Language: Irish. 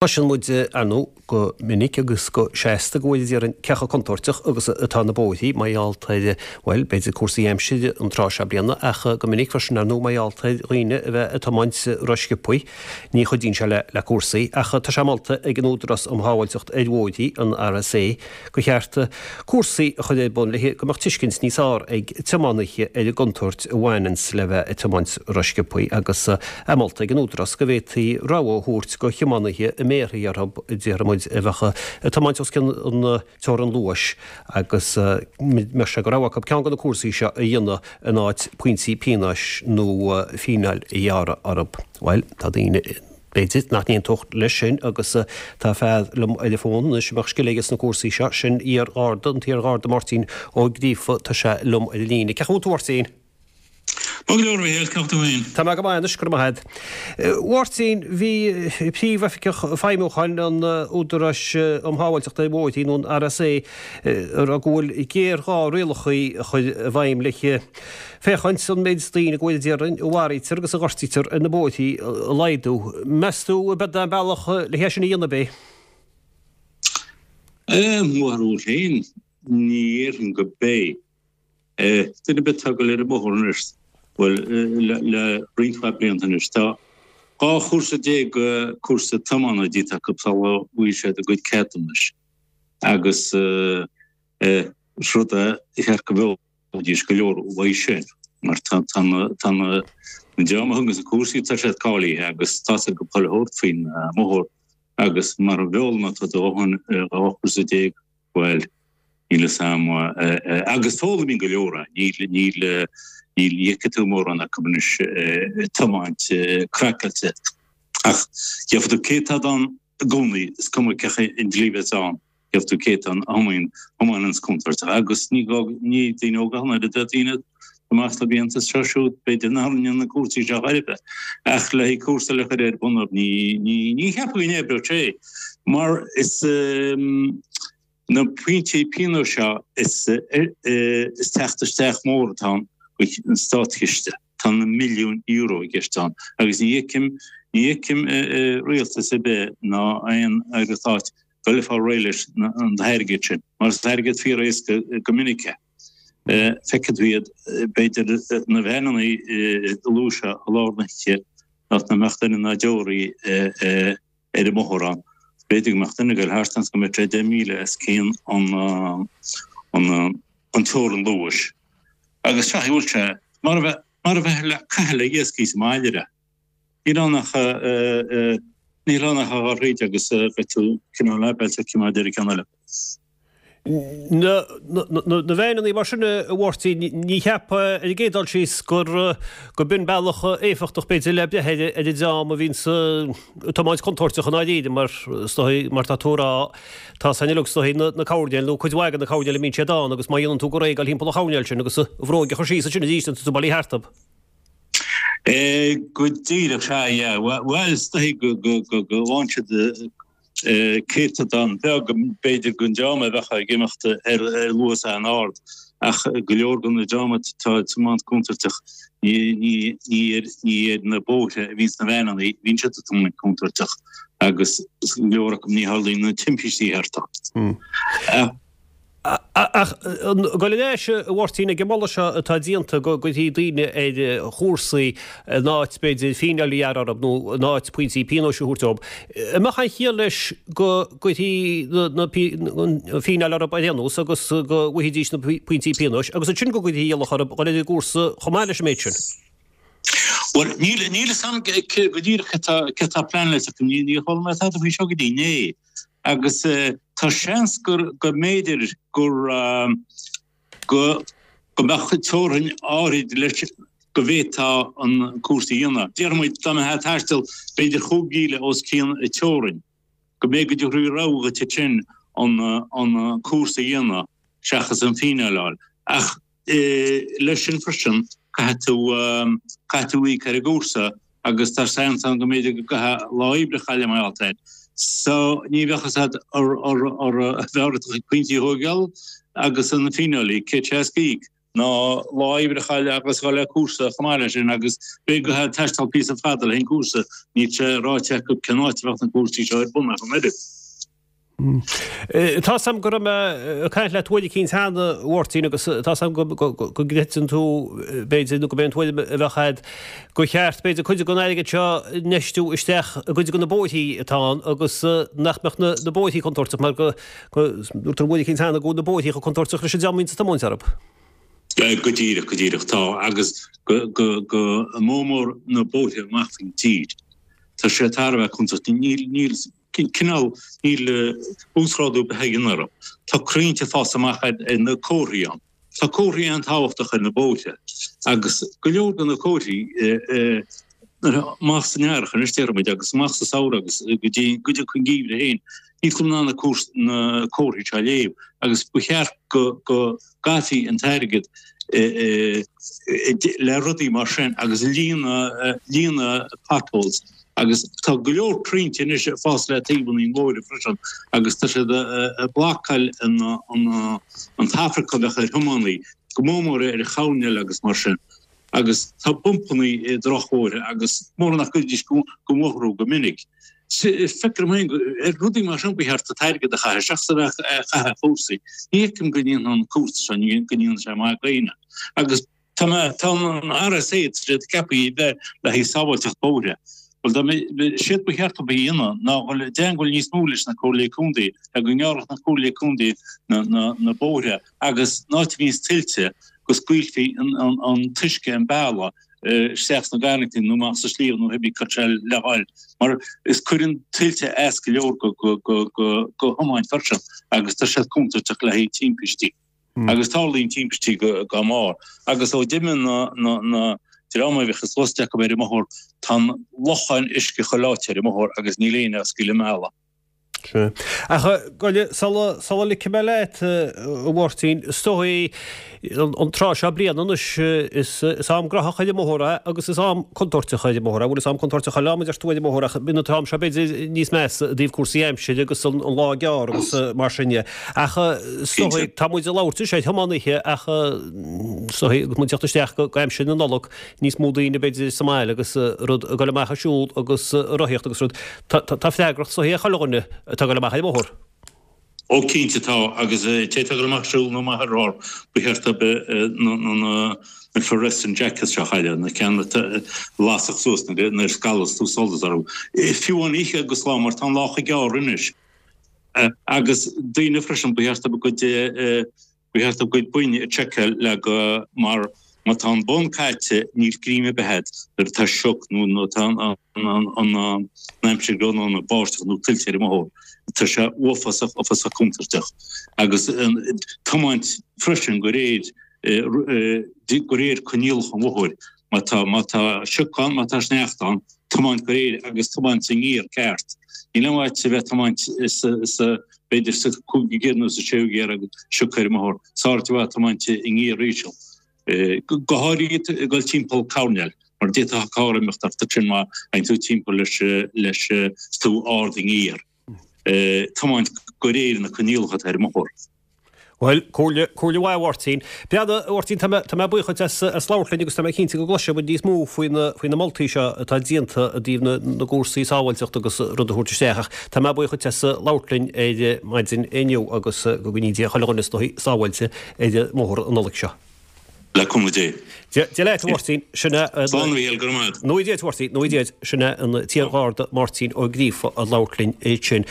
Cloiseann muid, ar ndóigh, go minic agus go seasta go bhfuil, déarfainn, cé chomh contúirteach agus atá na bóithrí mar gheall ar, bhuel, b'fhéidir cúrsaí aimsire an tráth seo bliana ach go minic freisin, ar ndóigh, mar gheall ar dhaoine a bheith ag tiomáint rósciobthaí. Ní chuidíonn sé le cúrsaí ach tá sé molta ag an Údarás um Shábháilteacht ar Bhóithrí, an RSA, gur cheart cúrsaí a chur ar bun le go mbeadh tuiscint níos fearr ag tiománaithe ar an gcontúirt a bhaineanns le bheith ag tiomáint rósciobthaí agus é molta ag an Údarás go bhféadfaí rabhadh a thabhairt go thiománaithe a mbéarfaí orthu, déarfaidh muid, a bheadh ag tiomáint os cionn an teorann luais agus mbeadh sé de rogha acu ceann de na cúrsaí seo a dhéanamh in áit pointí pionóis nó fíneáil a ghearradh orthu. Bhuel, tá daoine. B'fhéidir nach n-aontódh leis sin agus tá fear liom ar an bhfón anois a mbeadh scil aige sna cúrsaí seo, sin iar-Gharda, an t-iar-Gharda Máirtín Ó Gríofa, tá sé liom ar an líne. Cén chaoi a bhfuil tú, a Mháirtín? Maith go leor, a Mhícheáil, cén chaoi a bhfuil tú féin? Tá mé go maith anois, go raibh maith agat. A Mháirtín, bhí Príomhoifigeach Feidhmiúcháin an Údaráis um Shábháilteacht ar Bhóithrí, nó an RSA, ag rá go bhfuil géarghá rialacha a chur i bhfeidhm le féachaint an méid daoine go bhfuil, déarfainn, a mharaítear agus a ghortaítear ar na bóithrí a laghdú. Meas tú ab é an bealach le hé sin a dhéanamh é? I mo bharúil féin, ní dhéarfainn go b'é. Duine ar bith atá ag dul ar an mbóthar anois, bhuel, le roinnt mhaith blianta anois, tá 12 chúrsa cúrsa tiomána déanta acu sula bhfaighidh siad a gcuid ceadúnais agus is rud é ba cheart go bhfoghlaimeoidís go leor uaidh sin mar tá na tá na dream a thuganns na cúrsaí tá siad cáilithe agus tá siad go chuile shórt faoin mbóthar agus mara bhfoghlaimeoidh tú do dhóthain 12 chúrsa, bhuel níl fhios a'm agus foghlaimíonn go leor é níl níl níl ní fheicfidh tú mórán acu anois ag tiomáint craiceáilte ach gheobhaidh tú céatadán i gcónaí is cuma cén chaoi an dlí a bheas ann. Gheobhaidh tú céatadán a thiomáineanns contúirteach agus ní gá, ní daoine óga ach an oiread, daoine amach le blianta is seo siúd, b'fhéidir nach rinne na cúrsaí seo chor ar bith, ach le haghaidh cúrsa le cur ar bun orthu, ní, ní, ní cheapaim go n-oibreodh sé mar is na pointí pionóis seo is, is teacht isteach mór atá ann don státchiste. Tá na milliúin euro i gceist ann agus ní fheicim, ní fheicim rialtas ar bith ná aon aire stáit dul ag fáil réidh leis an airgead sin, mar is airgead fíor-éasca go minic é. Feicfidh tú iad, b'fhéidir, na veaineanna luais i lár na hoíche, nach mbeadh duine ná deoraí ar an mbóthar ann. B'fhéidir go mbeadh duine ag dul thart ann is go mbeadh sé 10 míle os cionn an teorann luais. Agus seo, bhfuil sé mar a bheith, mar a bheith le caitheamh le iascaigh sa mbaile. Níl ann ach níl ann ach a dhul thríd agus beidh tú cineál ábalta coimeád ar an gceann eile. Na veaineanna mar sin, a Mháirtín, ní cheapfá ar an gcéad dul síos gur go b'in bealach éifeachtach b'fhéidir le breith ar an dream a bhíonns ag tiomáint contúirteach i ndáiríre mar is dóigh mar tá tú a rá tá san uilig is dóigh na coirnéil nó cuid mhaith de na coirnéil a mbíonn siad ann agus má dhéanann tú go réidh dul thimpeall an choirnéil sin agus an bhróig a chur síos ansin arís tá tú bailithe thart. Go díreach, sea, yeah. Bhuel, is dóigh go bhfaigheann siad céatadán beag, b'fhéidir, den dream a bheadh ag imeacht ar luas an-ard, ach go leor den dream atá ag tiomáint contúirteach, ní ar na bóithre a bhíonns na veaineanna, bhíonn siad ag tiomáint contúirteach agus go leor acu ní tharlaíonn na timpistí thart. Ach gabháil ar ais, a Mháirtín, ag an moladh seo atá déanta go gcuirfí daoine ar chúrsaí in áit, b'fhéidir, fíneáil a ghearradh orthu nó in áit pointí pionóis a thabhairt dóibh, an mbeadh aon chiall leis go gcuirfí an fíneáil orthu ar aon nós agus go bhfaighidís na pointí pionóis agus ansin go gcuirfí iallach orthu dhul ar an gcúrsa chomh maith leis an méid sin? Bhuel, níl a fhios agam go díreach céard atá pleanáilte acu. Níor chuala mé tada faoi seo go dtí inné. Agus tá seans gur go mb'fhéidir gur go go mbeadh teorainn áirid leis go bhféadfá an cúrsa a dhéanamh. Déarfaidh muid dá mbeifeá ag taisteal b'fhéidir chúig mhíle os cionn an teorainn, go mb'fhéidir go dtabharfaí rogha dhuit ansin an an cúrsa a dhéanamh seachas an fíneáil a fháil. Ach Leis sin freisin, caithfidh tú, caithfidh tú íoc ar an gcúrsa agus tá seans ann go mb'fhéidir go gcaithfeá lá oibre a chailleadh mar gheall air. So, ní bheadh fhios agat ar, ar, ar, bheadh ort pointí a thóigeáil agus an fíneáil a íoc, 160 a íoc. Ná lá oibre a chailleadh agus dhul le cúrsa chomh maith leis sin agus b'fhéidir go gcaithfeá taisteal píosa fada le haghaidh an cúrsa, níl sé ráite acu cén áit a bheadh na cúrsaí seo ar bun ach an oiread. Tá's a'm go raibh mé ag caint leat uair eicínt cheana, a Mháirtín, agus tá's a'm go gcreideann tú, b'fhéidir, nó go b'é an tuairim a bheadh a'd, gur cheart, b'fhéidir, cuid den airgead seo a infheistiú isteach i gcuid de na bóithrí atá ann agus nach mbeadh na bóithrí contúirteach mar go Dúirt tú uair eicínt cheana go bhfuil na bóithrí chomh contúirteach leis an dream a bhíonns ag tiomáint orthu. Go díreach, go díreach. Tá, agus go, go, go mór mór na bóithre amach faoin tír. Tá sé thar a bheith contúirteach. Níl, níl, cineál, níl uasghrádú ar bith á dhéanamh orthu. Tá crainnte ag fás amach ar, ar na comharthaí ann. Tá comharthaí an-tábhachtach ar na bóithre agus go leor de na comharthaí amach san earrach anois déarfaidh muid agus amach sa samhradh agus go dtí go dtí an geimhreadh féin níl tú in ann na comharthaí seo a léamh agus ba cheart go go gcaithfí an t-airgead le rudaí mar sin agus líonadh líonadh potholes Agus tá go leor crainnte anois ag fás le taobhanna an bhóthair freisin agus tá siad ag blocáil an traffic a bheadh ar thiománaí, go mór mór ar choirnéil agus mar sin. Agus tá bumpannaí i drochbhóithre agus mór nach gcuirfidís den bhóthar thú go minic. Feictear dom féin gur ar rudaí mar sin ba cheart an t-airgead a chaitheamh seachas a bheith ag caitheamh ar chúrsaí. Ní fheicim go ndéanfaidh an cúrsa seo, go ndéanfaidh sé maith d'éinne. Agus. Tá an RSA tá siad ceaptha a bheith le haghaidh sábháilteacht bóithre. Bhuel, dá mbeadh, séard ba cheart dóibh a dhéanamh ná dhul i dteangmháil níos mó leis na Comhairlí Contae le go ngearrfadh na Comhairlí Contae na bóithre agus an áit a bhíonns tuilte go scaoilfí an t-uisce an bealach isteach sna garrantaí nó amach sa sliabh nó cibé cá tá sé le dhul mar is cuireann tuilte as go leor go thiomáint freisin agus tá siad contúirteach le haghaidh timpistí. Agus tarlaíonn timpistí dá mbarr. Agus ó d'imigh na dream a bhíodh is liosta acu ar an mbóthar, tá an locháin uisce chuile áit ar an mbóthar agus níl éinne á scaoileadh an mbealaigh. Sea. Ach gabh sula, sula ligfidh mé leat, a Mháirtín, is dóigh an tráth seo bliana anois, is, is am graitheach ar an mbóthar é agus is am contúirteach ar an mbóthar é. Bhuel, is am contúirteach chuile am a deir tú ar an mbóthar ach bíonn an t-am seo b'fhéidir níos measa i dtaobh cúrsaí aimsire agus an lá gearr agus mar sin de. Ach is dóigh, tá muid ag labhairt anois ar thiománaithe ach is dóigh, agus muid ag teacht isteach go aimsir na Nollag, níos mó daoine b'fhéidir sa mbaile agus rud ag dul amach ag siúl agus ag rothaíocht agus rud. Tá freagracht is dóigh ar chuile dhuine atá ag dul amach ar an mbóthar. Ó cinnte tá, agus té atá ag dul amach ag siúl nó amach ar rothar, ba cheart dóibh na na fluorescent jackets seo a chaitheamh, na ceann a lasfadh suas nuair a scalas tú solas orthu. Fiú an oíche agus lá mar tá an lá chomh gearr anois. Agus daoine freisin, ba cheart dóibh a gcuid, ba cheart dóibh a gcuid boinn a tseiceáil le go, mar má tá an bonn caite níl greim ar bith agat nuair atá sioc nó nuair atá an aimsir nó an báisteach nó tuilte ar an mbóthar. Tá sé uafásach, uafásach contúirteach. Agus tiomáint freisin de réir, de réir coinníollacha an bhóthair. Má tá, má tá sioc ann, má tá sneachta ann, tiomáint de réir agus tiomáint sa ngiar ceart. Níl aon mhaith a bheith tiomáint sa, b'fhéidir sa cúigiú giar nó sa séú giar agus sioc ar an mbóthar. Is fearr i bhfad tiomáint i ngiar íseal. Go háirithe ag dul timpeall coirnéil, mar d'fhéadfadh carr imeacht ort ansin má théann tú timpeall leis, leis, is tú ard i ngiar. Tiomáint de réir na coinníollacha atá ar an mbóthar. Bhuel, comhairle, comhairle mhaith a Mháirtín. Breathnaigh, a Mháirtín, tá mé, tá mé buíoch duit as, as labhairt linn agus tá mé cinnte go gcloisfidh muid níos mó faoi na, faoi na moltaí seo atá déanta i dtaobh na, na gcúrsaí sábháilteachta agus rud a thabhairt isteach ach tá mé buíoch duit as labhairt linn ar maidin inniu agus go gcoinní Dia chuile dhuine is dóigh sábháilte ar an mbóthar an Nollaig seo. Le cúnamh Dé. Dia, Dia leat, a Mháirtín. Sin é an. Slán a Mhíchíl, go raibh maith agat. Nó Dia duit, a Mháirtín, nó Dia duit. Sin é an t-iar-Gharda Máirtín Ó Gríofa ag labhairt linn ansin.